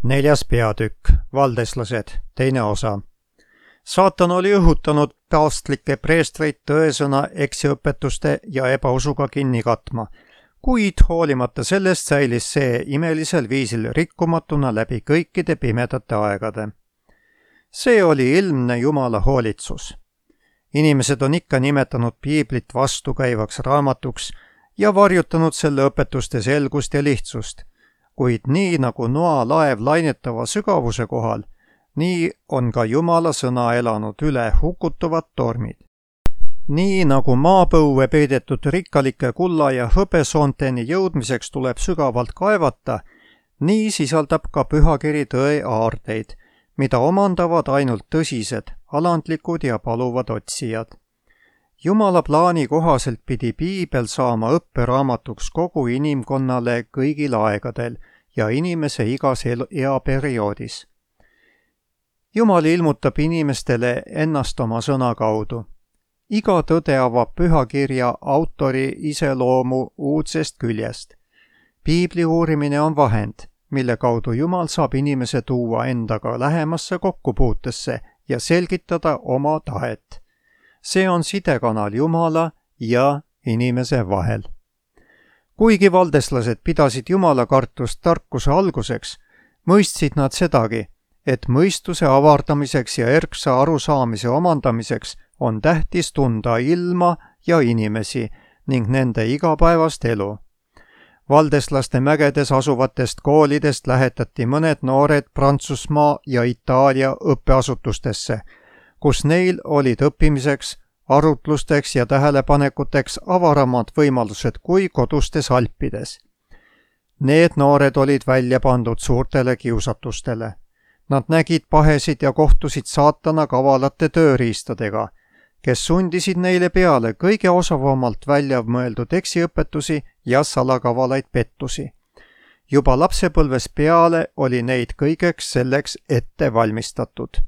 4. peatükk, Valdeslased, teine osa. Saatan oli õhutanud paavstlikke preestreid tõesõna eksiõpetuste ja ebausuga kinni katma, kuid hoolimata sellest säilis see imelisel viisil rikkumatuna läbi kõikide pimedate aegade. See oli ilmne Jumala hoolitsus. Inimesed on ikka nimetanud piiblit vastukäivaks raamatuks ja varjutanud selle õpetuste selgust ja lihtsust, kuid nii nagu noa laev lainetava sügavuse kohal, nii on ka Jumala sõna elanud üle hukutuvad tormid. Nii nagu maapõue peidetud rikkalike kulla ja hõbesoonteni jõudmiseks tuleb sügavalt kaevata, nii sisaldab ka pühakiri tõe aardeid, mida omandavad ainult tõsised, alandlikud ja paluvad otsijad. Jumala plaani kohaselt pidi piibel saama õpperaamatuks kogu inimkonnale kõigil aegadel ja inimese igas eaperioodis. Jumal ilmutab inimestele ennast oma sõna kaudu. Iga tõde avab pühakirja autori iseloomu uudsest küljest. Piibli uurimine on vahend, mille kaudu Jumal saab inimese tuua endaga lähemasse kokkupuutesse ja selgitada oma tahet. See on sidekanal Jumala ja inimese vahel. Kuigi valdeslased pidasid Jumala kartust tarkuse alguseks, mõistsid nad sedagi, et mõistuse avardamiseks ja erksa arusaamise omandamiseks on tähtis tunda ilma ja inimesi ning nende igapäevast elu. Valdeslaste mägedes asuvatest koolidest lähetati mõned noored Prantsusmaa ja Itaalia õppeasutustesse, kus neil olid õppimiseks, arutlusteks ja tähelepanekuteks avaramad võimalused kui kodustes Alpides. Need noored olid välja pandud suurtele kiusatustele. Nad nägid pahesid ja kohtusid saatana kavalate tööriistadega, kes sundisid neile peale kõige osavamalt välja mõeldud eksiõpetusi ja salakavalaid pettusi. Juba lapsepõlves peale oli neid kõigeks selleks ette valmistatud.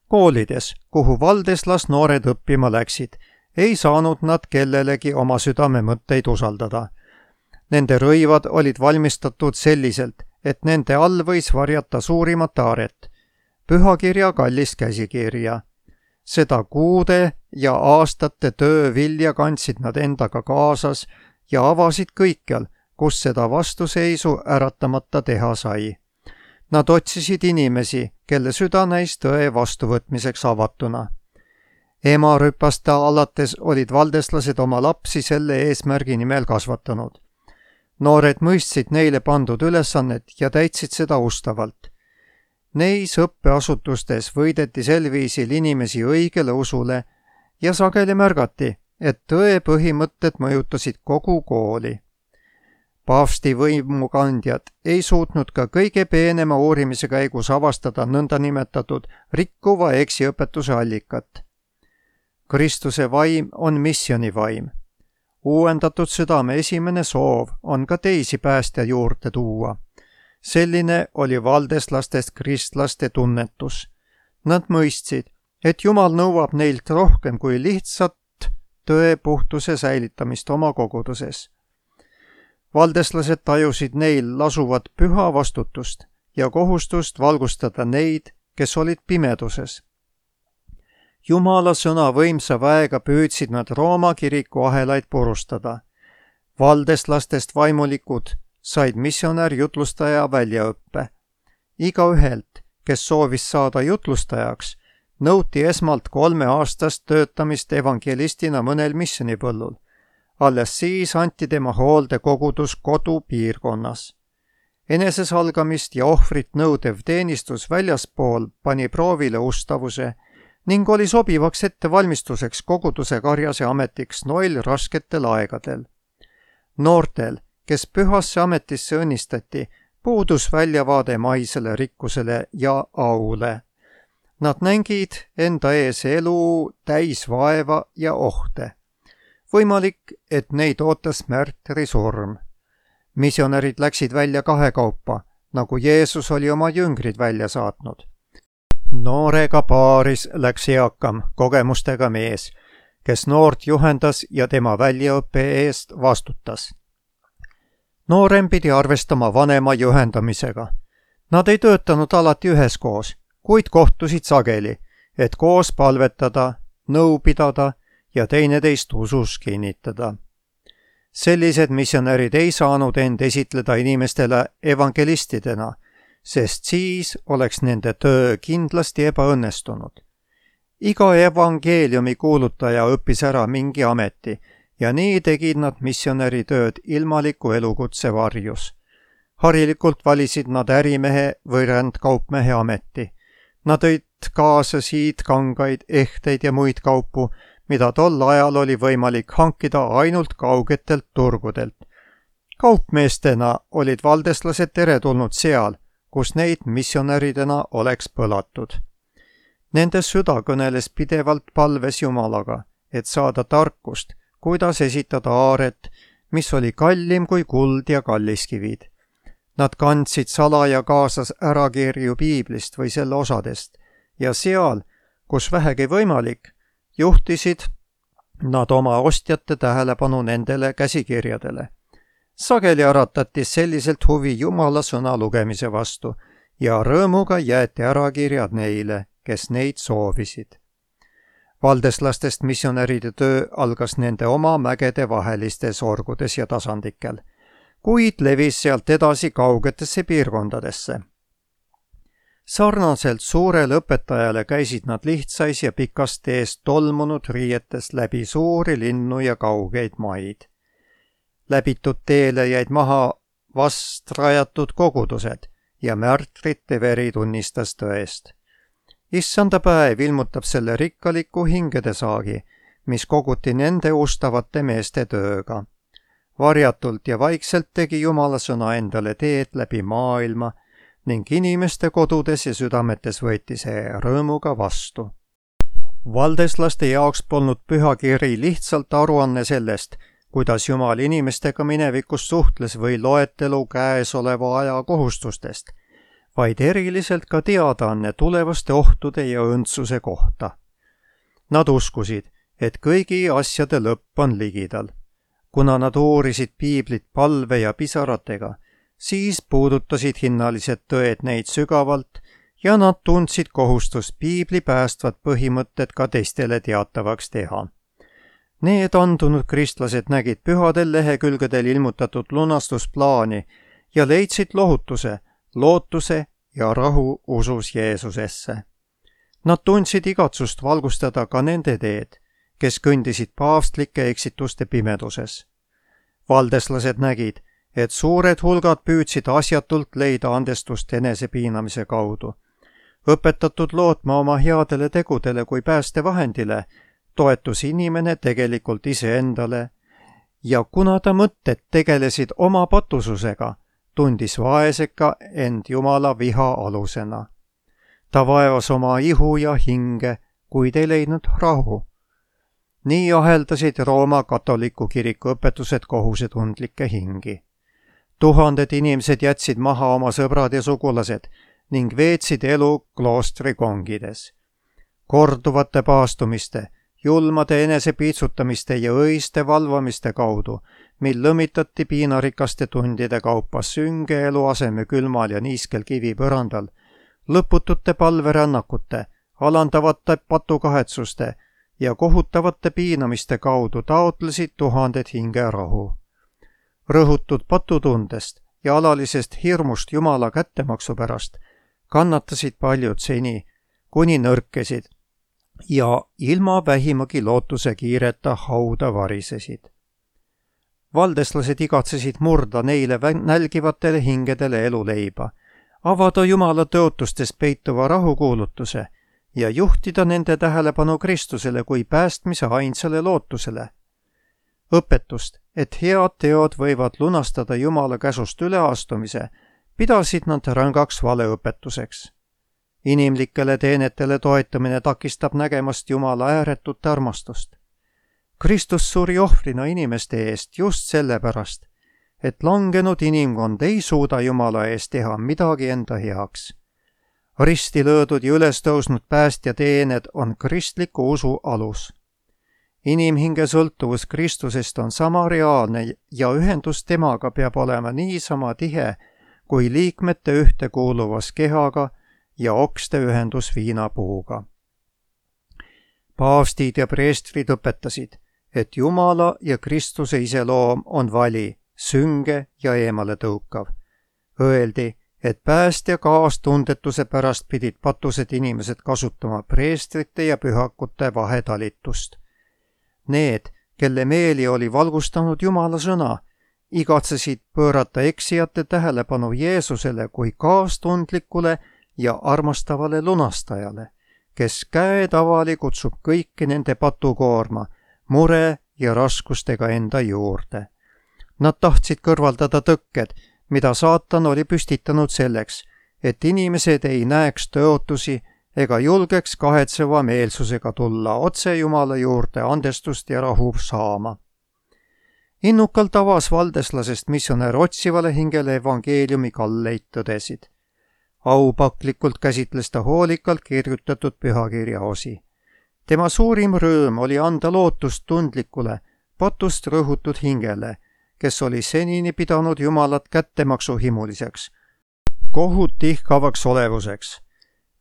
Koolides, kuhu valdeslas noored õppima läksid, ei saanud nad kellelegi oma südame mõtteid usaldada. Nende rõivad olid valmistatud selliselt, et nende all võis varjata suurimat aaret, pühakirja kallist käsikirja. Seda kuude ja aastate töö vilja kandsid nad endaga kaasas ja avasid kõikjal, kus seda vastuseisu äratamata teha sai. Nad otsisid inimesi, kelle süda näis tõe vastuvõtmiseks avatuna. Emarüpast alates olid valdeslased oma lapsi selle eesmärgi nimel kasvatanud. Noored mõistsid neile pandud ülesannet ja täitsid seda ustavalt. Neis õppeasutustes võideti sel viisil inimesi õigele usule ja sageli märgati, et tõe põhimõtted mõjutasid kogu kooli. Paavsti võimukandjad ei suutnud ka kõige peenema uurimise käigus avastada nõndanimetatud rikkuva eksiõpetuse allikat. Kristuse vaim on missionivaim. Uuendatud südame esimene soov on ka teisi päästja juurde tuua. Selline oli valdeslastest kristlaste tunnetus. Nad mõistsid, et Jumal nõuab neilt rohkem kui lihtsalt tõe puhtuse säilitamist oma koguduses. Valdeslased tajusid neil lasuvat püha vastutust ja kohustust valgustada neid, kes olid pimeduses. Jumala sõna võimsa väega püüdsid nad Rooma kiriku ahelaid purustada. Valdeslastest vaimulikud said missionär jutlustaja väljaõppe. Igaühelt, kes soovis saada jutlustajaks, nõuti esmalt 3-aastast töötamist evangelistina mõnel missionipõllul. Alles siis anti tema hoolde kogudus kodupiirkonnas. Enesesalgamist ja ohvrit nõudev teenistus väljaspool pani proovile ustavuse ning oli sobivaks ettevalmistuseks koguduse karjase ametiks noil rasketel aegadel. Noortel, kes pühasse ametisse õnnistati, puudus väljavaade maisele rikkusele ja aule. Nad nägid enda ees elu täis vaeva ja ohte. Võimalik, et neid ootas märtrisurm. Missionärid läksid välja kahekaupa, nagu Jeesus oli oma jüngrid välja saatnud. Noorega paaris läks eakam, kogemustega mees, kes noort juhendas ja tema väljaõppe eest vastutas. Noorem pidi arvestama vanema juhendamisega. Nad ei töötanud alati üheskoos, kuid kohtusid sageli, et koos palvetada, nõu pidada ja teineteist usus kinnitada. Sellised missionärid ei saanud end esitleda inimestele evangelistidena, sest siis oleks nende töö kindlasti ebaõnnestunud. Iga evangeeliumi kuulutaja õppis ära mingi ameti ja nii tegid nad missionäri tööd ilmaliku elukutse varjus. Harilikult valisid nad ärimehe või rändkaupmehe ameti. Nad tõid kaasa siidkangaid, ehteid ja muid kaupu, mida tol ajal oli võimalik hankida ainult kaugetelt turgudelt. Kaupmeestena olid valdeslased teretulnud seal, kus neid missionäridena oleks põlatud. Nende süda kõneles pidevalt palves Jumalaga, et saada tarkust, kuidas esitada aaret, mis oli kallim kui kuld ja kalliskivid. Nad kandsid salaja kaasas ärakirju piiblist või selle osadest ja seal, kus vähegi võimalik, juhtisid nad oma ostjate tähelepanu nendele käsikirjadele. Sageli äratati selliselt huvi Jumala sõna lugemise vastu ja rõõmuga jäeti ärakirjad neile, kes neid soovisid. Valdeslastest missionäride töö algas nende oma mägede vahelistes orgudes ja tasandikel, kuid levis sealt edasi kaugetesse piirkondadesse. Sarnaselt suurele õpetajale käisid nad lihtsais ja pikas tees tolmunud riietes läbi suuri linnu ja kaugeid maid. Läbitud teele jäid maha vast rajatud kogudused ja märtrite veri tunnistas tõest. Issanda päev ilmutab selle rikkaliku hingedesaagi, mis koguti nende ustavate meeste tööga. Varjatult ja vaikselt tegi Jumala sõna endale teed läbi maailma ning inimeste kodudes ja südametes võeti see rõõmuga vastu. Valdeslaste jaoks polnud pühakiri lihtsalt aruanne sellest, kuidas Jumal inimestega minevikus suhtles või loetelu käesoleva aja kohustustest, vaid eriliselt ka teadaanne tulevaste ohtude ja õndsuse kohta. Nad uskusid, et kõigi asjade lõpp on ligidal. Kuna nad uurisid piiblit palve ja pisaratega, siis puudutasid hinnalised tõed neid sügavalt ja nad tundsid kohustust piibli päästvat põhimõtted ka teistele teatavaks teha. Need andunud kristlased nägid pühadel lehekülgedel ilmutatud lunastusplaani ja leidsid lohutuse, lootuse ja rahu usus Jeesusesse. Nad tundsid igatsust valgustada ka nende teed, kes kõndisid paavstlike eksituste pimeduses. Valdeslased nägid, et suured hulgad püüdsid asjatult leida andestust enesepiinamise kaudu. Õpetatud lootma oma headele tegudele kui päästevahendile, toetus inimene tegelikult iseendale ja kuna ta mõtted tegelesid oma patususega, tundis vaeseka end Jumala viha alusena. Ta vaevas oma ihu ja hinge, kuid ei leidnud rahu. Nii aheldasid Rooma katoliku kiriku õpetused kohusetundlikke hingi. Tuhanded inimesed jätsid maha oma sõbrad ja sugulased ning veetsid elu kloostri kongides. Korduvate paastumiste, julmade enesepiitsutamiste ja õiste valvamiste kaudu, mil lõmitati piinarikaste tundide kaupa sünge eluaseme külmal ja niiskel kivipõrandal, lõputute palverännakute, alandavate patukahetsuste ja kohutavate piinamiste kaudu taotlesid tuhanded hingerahu. Rõhutud patutundest ja alalisest hirmust Jumala kättemaksu pärast kannatasid paljud seni, kuni nõrkesid ja ilma vähimagi lootuse kiireta hauda varisesid. Valdeslased igatsesid murda neile nälgivatele hingedele eluleiba, avada Jumala tõotustes peituva rahukuulutuse ja juhtida nende tähelepanu Kristusele kui päästmise ainsale lootusele. Õpetust, et head teod võivad lunastada Jumala käsust üleastumise, pidasid nad rängaks valeõpetuseks. Inimlikele teenetele toetamine takistab nägemast Jumala ääretut armastust. Kristus suri ohvrina inimeste eest just sellepärast, et langenud inimkond ei suuda Jumala eest teha midagi enda heaks. Risti löödud ja üles tõusnud päästja teened on kristliku usu alus. Inimhinge sõltuvus Kristusest on sama reaalne ja ühendus temaga peab olema niisama tihe, kui liikmete ühtekuuluvas kehaga ja okste ühendus viinapuuga. Paavstid ja preestrid õpetasid, et Jumala ja Kristuse iseloom on vali, sünge ja eemale tõukav. Öeldi, et päästja kaastundetuse pärast pidid patused inimesed kasutama preestrite ja pühakute vahetalitust. Need, kelle meeli oli valgustanud Jumala sõna, igatsesid pöörata eksijate tähelepanu Jeesusele kui kaastundlikule ja armastavale lunastajale, kes käetavali kutsub kõiki nende patukoorma, mure ja raskustega enda juurde. Nad tahtsid kõrvaldada tõkked, mida saatan oli püstitanud selleks, et inimesed ei näeks tõotusi ega julgeks kahetseva meelsusega tulla otse Jumala juurde andestust ja rahu saama. Innukalt avas valdeslasest missionär otsivale hingele evangeeliumi kalleid tõdesid. Aupaklikult käsitles ta hoolikalt kirjutatud pühakirja osi. Tema suurim rõõm oli anda lootust tundlikule, patust rõhutud hingele, kes oli senini pidanud Jumalat kättemaksuhimuliseks, kohut tihkavaks olevuseks.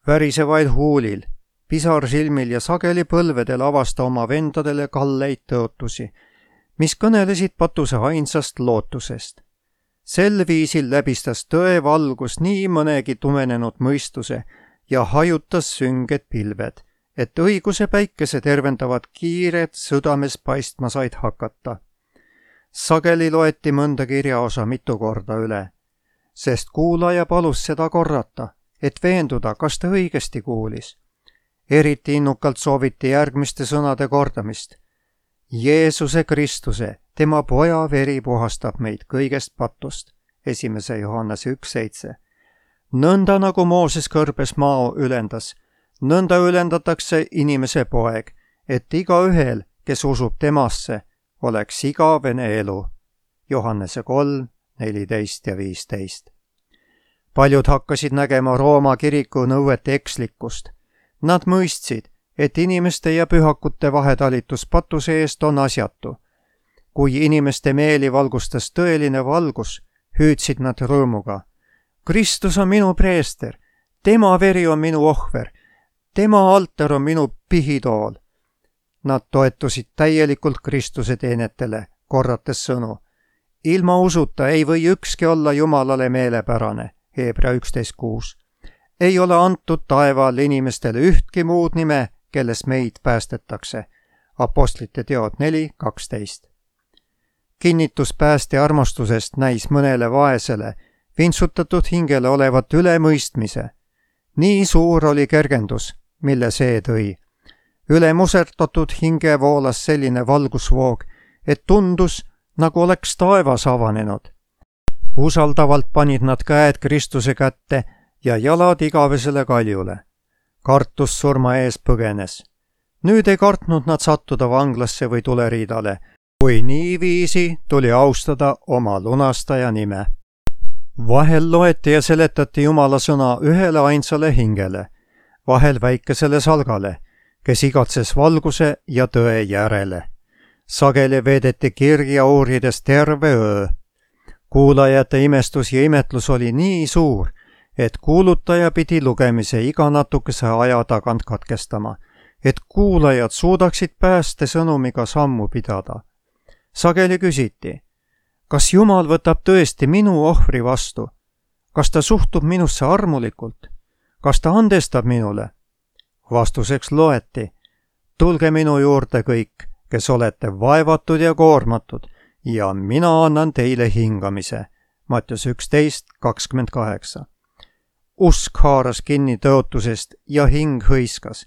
Värisevaid huulil, pisarsilmil ja sageli põlvedel avas ta oma vendadele kalleid tõotusi, mis kõnelesid patuse ainsast lootusest. Sel viisil läbistas tõe valgus nii mõnegi tumenenud mõistuse ja hajutas sünged pilved, et õiguse päikese tervendavad kiired südames paistma said hakata. Sageli loeti mõnda kirjaosa mitu korda üle, sest kuulaja palus seda korrata, et veenduda, kas ta õigesti kuulis. Eriti innukalt sooviti järgmiste sõnade kordamist. Jeesuse Kristuse, tema poja veri puhastab meid kõigest patust. 1. Johannese 1.7. Nõnda nagu Mooses kõrbes mao ülendas, nõnda ülendatakse inimese poeg, et igaühel, kes usub temasse, oleks igavene elu. Johannese 3, 14 ja 15. Paljud hakkasid nägema Rooma kiriku nõuete ekslikkust. Nad mõistsid, et inimeste ja pühakute vahetalitus patuse eest on asjatu. Kui inimeste meeli valgustas tõeline valgus, hüüdsid nad rõõmuga. Kristus on minu preester, tema veri on minu ohver, tema altar on minu pihitool. Nad toetusid täielikult Kristuse teenetele, korrates sõnu. Ilma usuta ei või ükski olla Jumalale meelepärane. Hebra 11.6. Ei ole antud taeval inimestele ühtki muud nime, kelles meid päästetakse. Apostlite teod 4.12. Kinnitus päästja armastusest näis mõnele vaesele, vintsutatud hingele olevat ülemõistmise. Nii suur oli kergendus, mille see tõi. Üle musertatud hinge voolas selline valgusvoog, et tundus, nagu oleks taevas avanenud. Usaldavalt panid nad käed Kristuse kätte ja jalad igavesele kaljule. Kartus surma ees põgenes. Nüüd ei kartnud nad sattuda vanglasse või tuleriidale, kui niiviisi tuli austada oma lunastaja nime. Vahel loeti ja seletati Jumala sõna ühele ainsale hingele, vahel väikesele salgale, kes igatses valguse ja tõe järele. Sageli veedeti kirja uurides terve öö. Kuulajate imestus ja imetlus oli nii suur, et kuulutaja pidi lugemise iga natukese aja tagant katkestama, et kuulajad suudaksid pääste sõnumiga sammu pidada. Sageli küsiti, kas Jumal võtab tõesti minu ohvri vastu? Kas ta suhtub minusse armulikult? Kas ta andestab minule? Vastuseks loeti, tulge minu juurde kõik, kes olete vaevatud ja koormatud, ja mina annan teile hingamise. Mattius 11.28. Usk haaras kinni tõotusest ja hing hõiskas.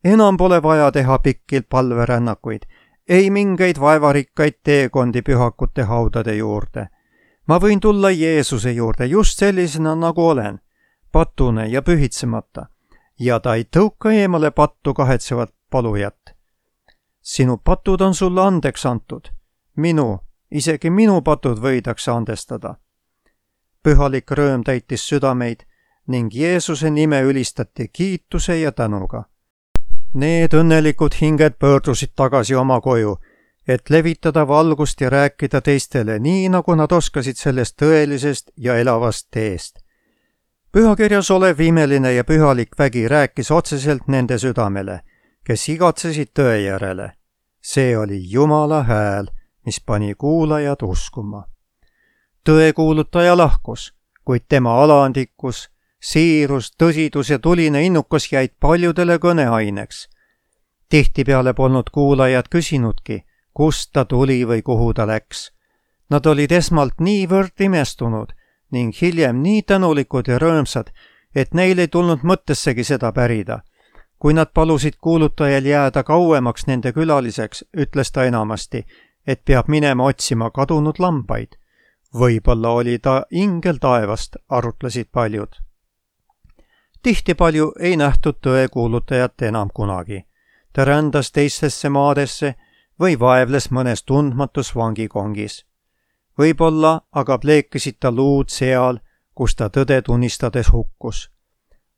Enam pole vaja teha pikki palverännakuid, ei mingeid vaevarikkaid teekondi pühakute haudade juurde. Ma võin tulla Jeesuse juurde just sellisena, nagu olen, patune ja pühitsemata, ja ta ei tõuka eemale pattu kahetsevat palujat. Sinu patud on sulle andeks antud. Isegi minu patud võidakse andestada. Pühalik rõõm täitis südameid ning Jeesuse nime ülistati kiituse ja tänuga. Need õnnelikud hinged pöördusid tagasi oma koju, et levitada valgust ja rääkida teistele nii, nagu nad oskasid sellest tõelisest ja elavast teest. Pühakirjas olev imeline ja pühalik vägi rääkis otseselt nende südamele, kes igatsesid tõe järele. See oli Jumala hääl, mis pani kuulajad uskuma. Tõekuulutaja lahkus, kuid tema alaandikkus, siirus, tõsidus ja tuline innukus jäid paljudele kõneaineks. Tihtipeale polnud kuulajad küsinudki, kust ta tuli või kuhu ta läks. Nad olid esmalt niivõrd imestunud ning hiljem nii tänulikud ja rõõmsad, et neil ei tulnud mõttessegi seda pärida. Kui nad palusid kuulutajal jääda kauemaks nende külaliseks, ütles ta enamasti, et peab minema otsima kadunud lambaid. Võib-olla oli ta ingel taevast, arutlesid paljud. Tihti palju ei nähtud tõekuulutajat enam kunagi. Ta rändas teistesse maadesse või vaevles mõnes tundmatus vangikongis. Võib-olla aga pleekisid ta luud seal, kus ta tõde tunnistades hukkus.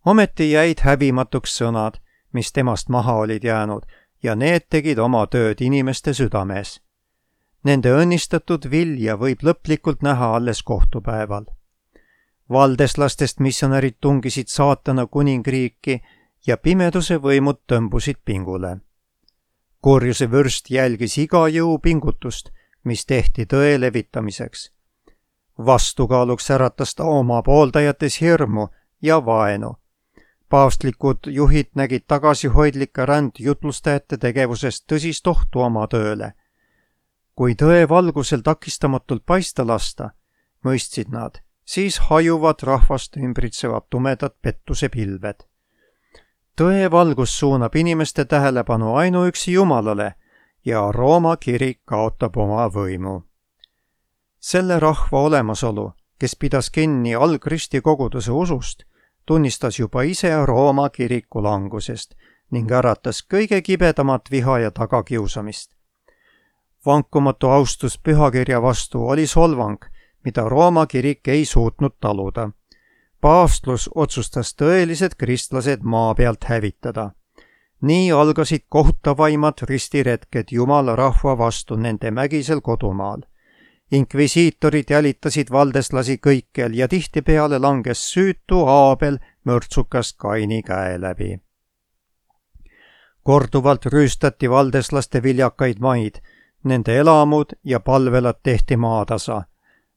Ometi jäid häbimatuks sõnad, mis temast maha olid jäänud, ja need tegid oma tööd inimeste südames. Nende õnnistatud vilja võib lõplikult näha alles kohtupäeval. Valdeslastest missionärid tungisid saatana kuningriiki ja pimeduse võimud tõmbusid pingule. Kurjuse vürst jälgis iga jõupingutust, mis tehti tõe levitamiseks. Vastukaaluks äratas ta oma pooldajates hirmu ja vaenu. Paavstlikud juhid nägid tagasihoidlike rändjutlustajate tegevusest tõsist ohtu oma tööle. Kui tõe valgusel takistamatult paista lasta, mõistsid nad, siis hajuvad rahvast ümbritsevad tumedad pettuse pilved. Tõe valgus suunab inimeste tähelepanu ainuüksi Jumalale ja Rooma kirik kaotab oma võimu. Selle rahva olemasolu, kes pidas kinni algristi koguduse usust, tunnistas juba ise Rooma kiriku langusest ning äratas kõige kibedamat viha ja tagakiusamist. Vankumatu austus pühakirja vastu oli solvang, mida Rooma kirik ei suutnud taluda. Paavstlus otsustas tõelised kristlased maa pealt hävitada. Nii algasid kohutavaimad ristiretked Jumala rahva vastu nende mägisel kodumaal. Inkvisiitorid jälitasid valdeslasi kõikjal ja tihtipeale langes süütu Aabel mürtsukast Kaini käe läbi. Korduvalt rüüstati valdeslaste viljakaid maid, nende elamud ja palvelad tehti maatasa.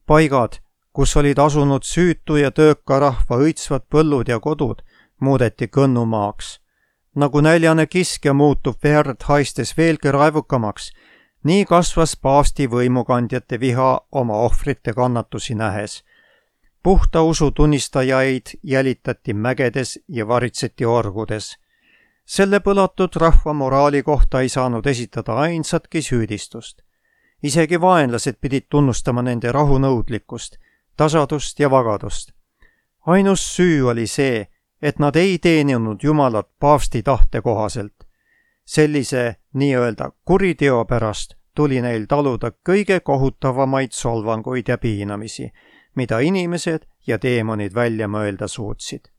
Paigad, kus olid asunud süütu ja tööka rahva õitsvad põllud ja kodud, muudeti kõnnumaaks. Nagu näljane kiskja muutub verd haistes veelgi raevukamaks, nii kasvas paavsti võimukandjate viha oma ohvrite kannatusi nähes. Puhta usu tunnistajaid jälitati mägedes ja varitseti orgudes. Selle põlatud rahva moraali kohta ei saanud esitada ainsatki süüdistust. Isegi vaenlased pidid tunnustama nende rahunõudlikkust, tasadust ja vagadust. Ainus süü oli see, et nad ei teeninud Jumalat paavsti tahte kohaselt. Sellise nii-öelda kuriteo pärast tuli neil taluda kõige kohutavamaid solvanguid ja piinamisi, mida inimesed ja teemonid välja mõelda suutsid.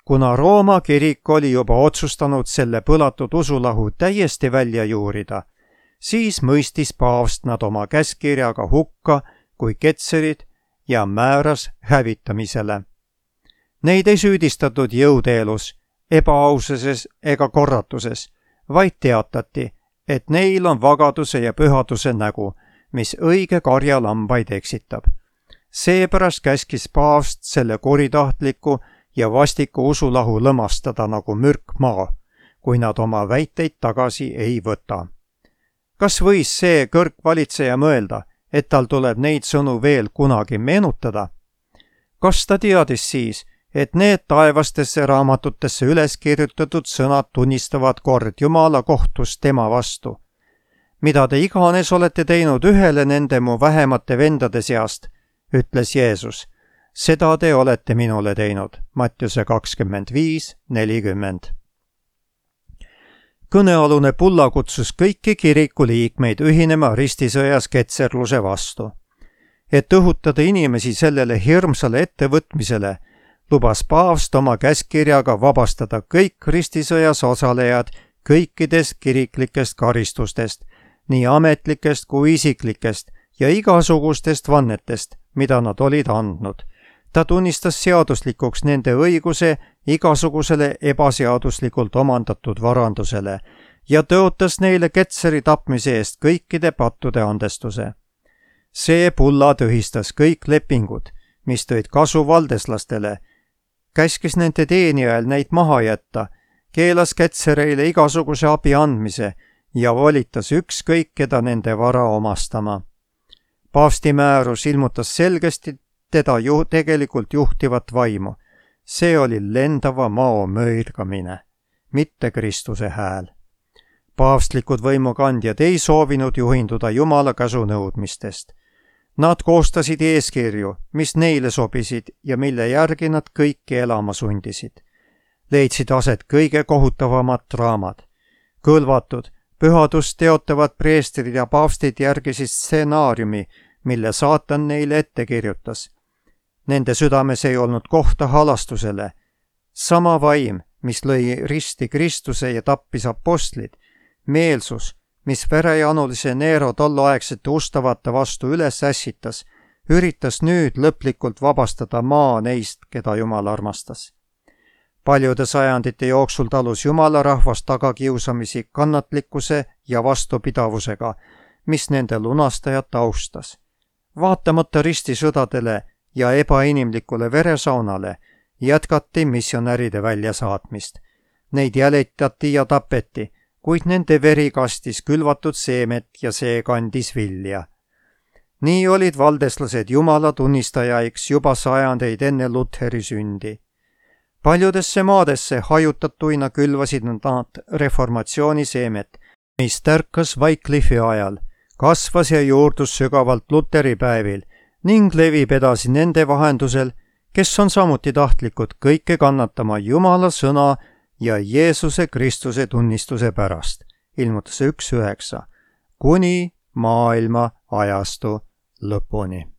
Kuna Rooma kirik oli juba otsustanud selle põlatud usulahu täiesti välja juurida, siis mõistis paavst nad oma käskkirjaga hukka kui ketserid ja määras hävitamisele. Neid ei süüdistatud jõuteelus, ebaaususes ega korratuses, vaid teatati, et neil on vagaduse ja pühaduse nägu, mis õige karja lambaid eksitab. Seepärast käskis paavst selle kuritahtliku ja vastiku usulahu lõmastada nagu mürk maa, kui nad oma väiteid tagasi ei võta. Kas võis see kõrgvalitseja mõelda, et tal tuleb neid sõnu veel kunagi meenutada? Kas ta teadis siis, et need taevastesse raamatutesse üles kirjutatud sõnad tunnistavad kord Jumala kohtus tema vastu? Mida te iganes olete teinud ühele nende mu vähemate vendade seast, ütles Jeesus, seda te olete minule teinud. Mattiuse 25:40. Kõnealune pulla kutsus kõiki kiriku liikmeid ühinema ristisõjas ketserluse vastu. Et õhutada inimesi sellele hirmsale ettevõtmisele, lubas paavst oma käskkirjaga vabastada kõik ristisõjas osalejad kõikidest kiriklikest karistustest, nii ametlikest kui isiklikest ja igasugustest vannetest, mida nad olid andnud. Ta tunnistas seaduslikuks nende õiguse igasugusele ebaseaduslikult omandatud varandusele ja tõotas neile Ketseri tapmise eest kõikide pattude andestuse. See pulla tühistas kõik lepingud, mis tõid kasu valdeslastele, käskis nende teenijail neid maha jätta, keelas Ketsereile igasuguse abi andmise ja volitas ükskõik keda nende vara omastama. Paavsti määrus ilmutas selgesti teda tegelikult juhtivat vaimu. See oli lendava mao mõirgamine, mitte Kristuse hääl. Paavstlikud võimukandjad ei soovinud juhinduda Jumala käsu nõudmistest. Nad koostasid eeskirju, mis neile sobisid ja mille järgi nad kõiki elama sundisid. Leidsid aset kõige kohutavamad draamad. Kõlvatud, pühadust teotavad preestrid ja paavstid järgisid stsenaariumi, mille saatan neile ette kirjutas. Nende südames ei olnud kohta halastusele. Sama vaim, mis lõi risti Kristuse ja tappis apostlid, meelsus, mis verejanulise Neero tolloaegsete ustavate vastu üles ässitas, üritas nüüd lõplikult vabastada maa neist, keda Jumal armastas. Paljude sajandite jooksul talus Jumala rahvast tagakiusamisi kannatlikkuse ja vastupidavusega, mis nende lunastajat austas. Vaatamata ristisõdadele ja ebainimlikule veresaunale jätkati missionäride väljasaatmist. Neid jälitati ja tapeti, kuid nende veri kastis külvatud seemet ja see kandis vilja. Nii olid valdeslased Jumala tunnistajaiks juba sajandeid enne Lutheri sündi. Paljudesse maadesse hajutatuina külvasid nad reformatsiooni seemet, mis tärkas Wycliffi ajal, kasvas ja juurdus sügavalt Lutheri päevil ning levib edasi nende vahendusel, kes on samuti tahtlikud kõike kannatama Jumala sõna ja Jeesuse Kristuse tunnistuse pärast. Ilmutuse 1.9. Kuni maailma ajastu lõpuni.